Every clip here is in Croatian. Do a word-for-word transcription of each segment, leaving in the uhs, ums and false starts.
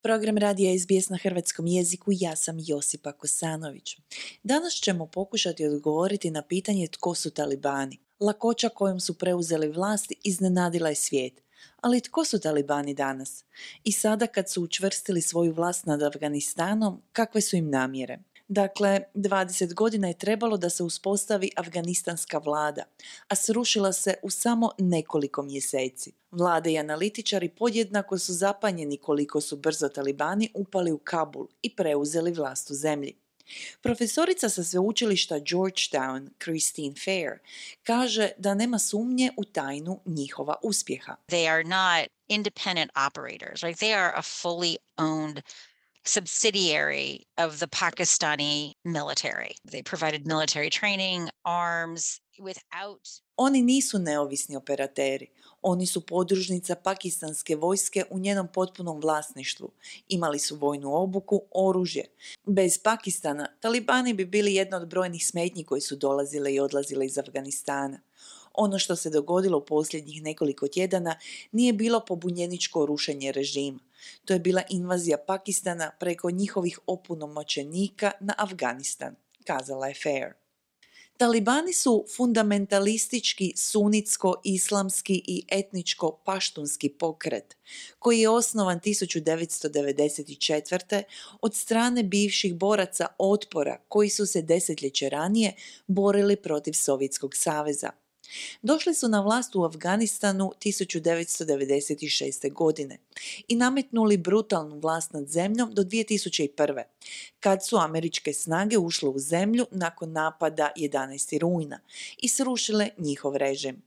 Program radija S B S na hrvatskom jeziku, ja sam Josipa Kosanović. Danas ćemo pokušati odgovoriti na pitanje tko su talibani. Lakoća kojom su preuzeli vlast iznenadila je svijet. Ali tko su talibani danas? I sada kad su učvrstili svoju vlast nad Afganistanom, kakve su im namjere? Dakle, dvadeset godina je trebalo da se uspostavi afganistanska vlada, a srušila se u samo nekoliko mjeseci. Vlade i analitičari podjednako su zapanjeni koliko su brzo talibani upali u Kabul i preuzeli vlast u zemlji. Profesorica sa sveučilišta Georgetown, Christine Fair, kaže da nema sumnje u tajnu njihova uspjeha. They are not independent operators, right? They are a fully owned subsidiary of the Pakistani military. They provided military training, arms, without... Oni nisu neovisni operateri. Oni su podružnica pakistanske vojske u njenom potpunom vlasništvu. Imali su vojnu obuku, oružje. Bez Pakistana, talibani bi bili jedna od brojnih smetnji koji su dolazile i odlazile iz Afganistana. Ono što se dogodilo u posljednjih nekoliko tjedana nije bilo pobunjeničko rušenje režima. To je bila invazija Pakistana preko njihovih opunomoćenika na Afganistan, kazala je Fair. Talibani su fundamentalistički sunitsko-islamski i etničko-paštunski pokret koji je osnovan tisuću devetsto devedeset četvrte. od strane bivših boraca otpora koji su se desetljeće ranije borili protiv Sovjetskog saveza. Došli su na vlast u Afganistanu tisuću devetsto devedeset šeste. godine i nametnuli brutalnu vlast nad zemljom do dvije tisuće prve. kad su američke snage ušle u zemlju nakon napada jedanaestog rujna i srušile njihov režim.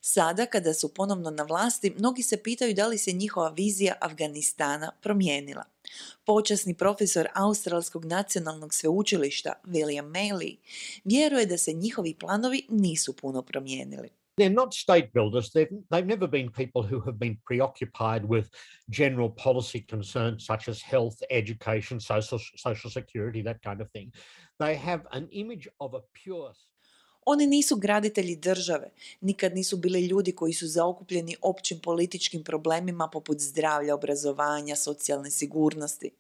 Sada, kada su ponovno na vlasti, mnogi se pitaju da li se njihova vizija Afganistana promijenila. Počasni profesor Australskog nacionalnog sveučilišta William Maley vjeruje da se njihovi planovi nisu puno promijenili. They're not state builders. They've, they've never been people who have been preoccupied with general policy concerns such as health, education, social, social security, that kind of thing. They have an image of a pure... Oni nisu graditelji države, nikad nisu bili ljudi koji su zaokupljeni općim političkim problemima poput zdravlja, obrazovanja, socijalne sigurnosti.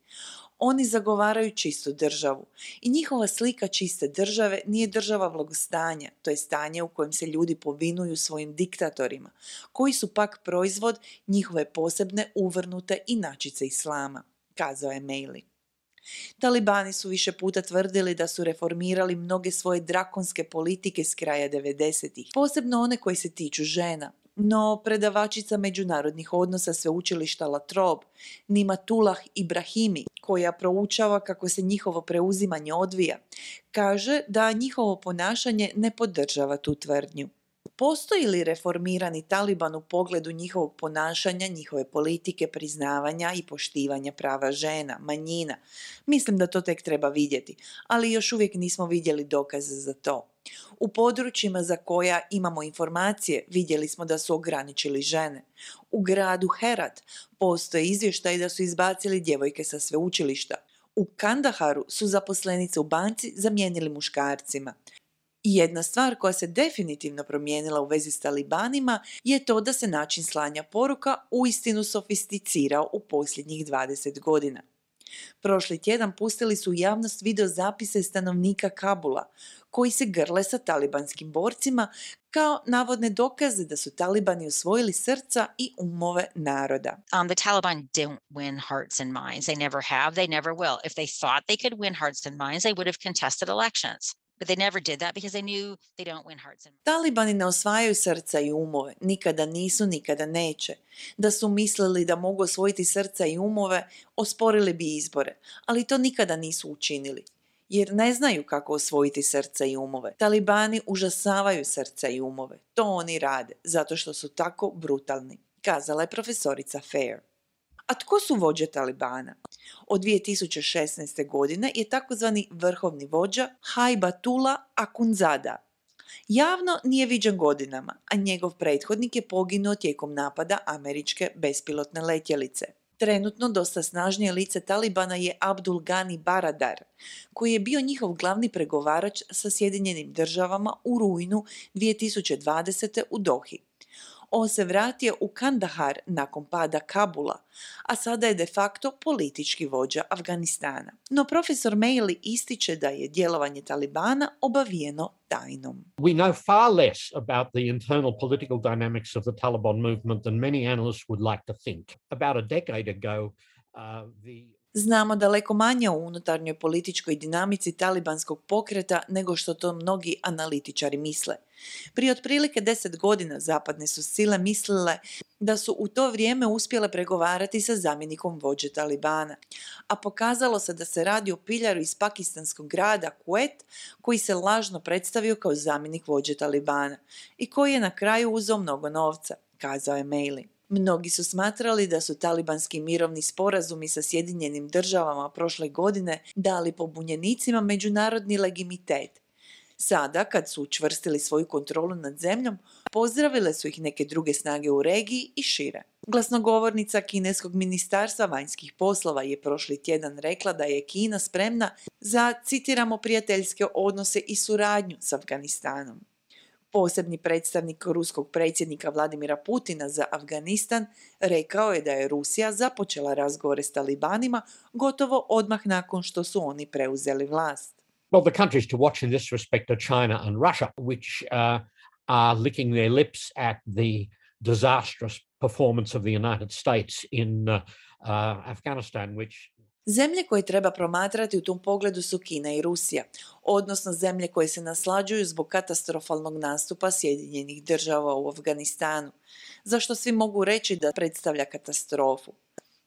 Oni zagovaraju čistu državu i njihova slika čiste države nije država blagostanja, to je stanje u kojem se ljudi povinuju svojim diktatorima, koji su pak proizvod njihove posebne uvrnute inačice islama, kazao je Maley. Talibani su više puta tvrdili da su reformirali mnoge svoje drakonske politike s kraja devedesetih, posebno one koje se tiču žena. No, predavačica međunarodnih odnosa sveučilišta La Trobe, Nimatullah Ibrahimi, koja proučava kako se njihovo preuzimanje odvija, kaže da njihovo ponašanje ne podržava tu tvrdnju. Postoji li reformirani Taliban u pogledu njihovog ponašanja, njihove politike, priznavanja i poštivanja prava žena, manjina? Mislim da to tek treba vidjeti, ali još uvijek nismo vidjeli dokaze za to. U područjima za koja imamo informacije vidjeli smo da su ograničili žene. U gradu Herat postoje izvještaji da su izbacili djevojke sa sveučilišta. U Kandaharu su zaposlenice u banci zamijenili muškarcima. I jedna stvar koja se definitivno promijenila u vezi s talibanima je to da se način slanja poruka uistinu sofisticirao u posljednjih dvadeset godina. Prošli tjedan pustili su u javnost video zapise stanovnika Kabula koji se grle sa talibanskim borcima kao navodne dokaze da su talibani osvojili srca i umove naroda. Um, the Taliban don't win hearts and minds. They never have. They never will. If they thought they could win hearts and minds, they would have contested elections. But they never did that because they knew they don't win hearts and minds. Talibani ne osvajaju srca i umove, nikada nisu, nikada neće. Da su mislili da mogu osvojiti srca i umove, osporili bi izbore, ali to nikada nisu učinili, jer ne znaju kako osvojiti srca i umove. Talibani užasavaju srca i umove, to oni rade, zato što su tako brutalni, kazala je profesorica Fair. A tko su vođe Talibana? Od dvije tisuće šesnaeste. godine je takozvani vrhovni vođa Haibatullah Akhundzada. Javno nije viđen godinama, a njegov prethodnik je poginuo tijekom napada američke bespilotne letjelice. Trenutno dosta snažnije lice Talibana je Abdul Ghani Baradar, koji je bio njihov glavni pregovarač sa Sjedinjenim državama u rujnu dvije tisuće dvadesete. u Dohi. On se vratio u Kandahar nakon pada Kabula, a sada je de facto politički vođa Afganistana. No profesor Mailey ističe da je djelovanje Talibana obavijeno tajnom. We know far less about the internal political dynamics of the Taliban movement than many analysts would like to think. About a decade ago, uh, the Znamo daleko manje o unutarnjoj političkoj dinamici talibanskog pokreta nego što to mnogi analitičari misle. Prije otprilike deset godina zapadne su sile mislile da su u to vrijeme uspjele pregovarati sa zamjenikom vođe Talibana, a pokazalo se da se radi o piljaru iz pakistanskog grada Kuwait koji se lažno predstavio kao zamjenik vođe Talibana i koji je na kraju uzeo mnogo novca, kazao je Mailey. Mnogi su smatrali da su talibanski mirovni sporazumi sa Sjedinjenim državama prošle godine dali pobunjenicima međunarodni legitimitet. Sada, kad su učvrstili svoju kontrolu nad zemljom, pozdravile su ih neke druge snage u regiji i šire. Glasnogovornica kineskog ministarstva vanjskih poslova je prošli tjedan rekla da je Kina spremna za, citiramo, prijateljske odnose i suradnju s Afganistanom. Posebni predstavnik ruskog predsjednika Vladimira Putina za Afganistan rekao je da je Rusija započela razgovore s talibanima gotovo odmah nakon što su oni preuzeli vlast. Well, the countries to watch in this respect are China and Russia, which uh, are licking their lips at the disastrous performance of the United States in uh, uh, Afghanistan, which Zemlje koje treba promatrati u tom pogledu su Kina i Rusija, odnosno zemlje koje se naslađuju zbog katastrofalnog nastupa Sjedinjenih država u Afganistanu, za što svi mogu reći da predstavlja katastrofu.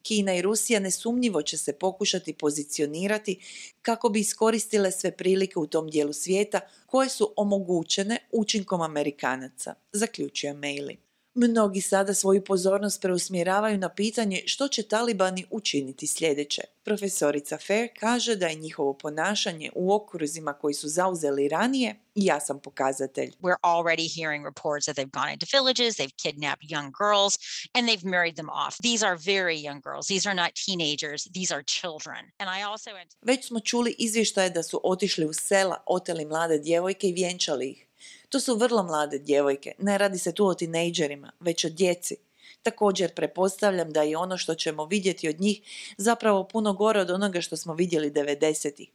Kina i Rusija nesumnjivo će se pokušati pozicionirati kako bi iskoristile sve prilike u tom dijelu svijeta koje su omogućene učinkom Amerikanaca, zaključuje Mailey. Mnogi sada svoju pozornost preusmjeravaju na pitanje što će talibani učiniti sljedeće. Profesorica Fair kaže da je njihovo ponašanje u okruzima koji su zauzeli ranije jasan pokazatelj. We're already hearing reports that they've gone into villages, they've kidnapped young girls, and they've married them off. These are very young girls. These are not teenagers. These are children. And I also... Već smo čuli izvještaje da su otišli u sela, oteli mlade djevojke i vjenčali ih. To su vrlo mlade djevojke, ne radi se tu o tinejdžerima, već o djeci. Također pretpostavljam da je ono što ćemo vidjeti od njih zapravo puno gore od onoga što smo vidjeli devedesetih.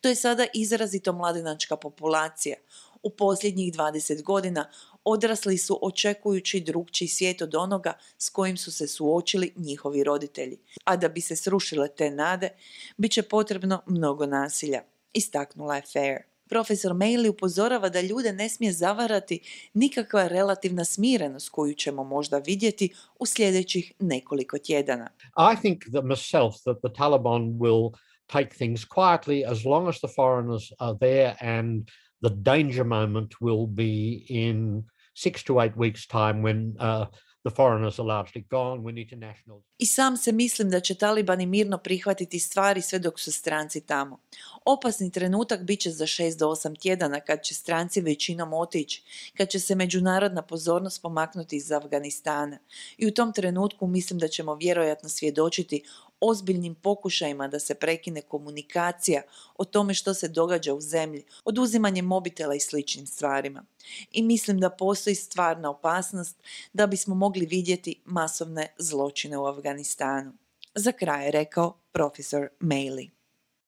To je sada izrazito mladenačka populacija. U posljednjih dvadeset godina odrasli su očekujući drukčiji svijet od onoga s kojim su se suočili njihovi roditelji. A da bi se srušile te nade, bit će potrebno mnogo nasilja, istaknula je Fair. Profesor Mailey upozorava da ljude ne smije zavarati nikakva relativna smirenost koju ćemo možda vidjeti u sljedećih nekoliko tjedana. I think that myself that the Taliban will take things quietly as long as the foreigners are there, and the danger moment will be in six to eight weeks' time when uh, the foreigners are largely gone, when international... I sam se mislim da će talibani mirno prihvatiti stvari sve dok su stranci tamo. Opasni trenutak bit će za šest do osam tjedana kad će stranci većinom otići, kad će se međunarodna pozornost pomaknuti iz Afganistana. I u tom trenutku mislim da ćemo vjerojatno svjedočiti ozbiljnim pokušajima da se prekine komunikacija o tome što se događa u zemlji, oduzimanje mobitela i sličnim stvarima. I mislim da postoji stvarna opasnost da bismo mogli vidjeti masovne zločine u Afganistanu. Za kraj je rekao profesor Mailey.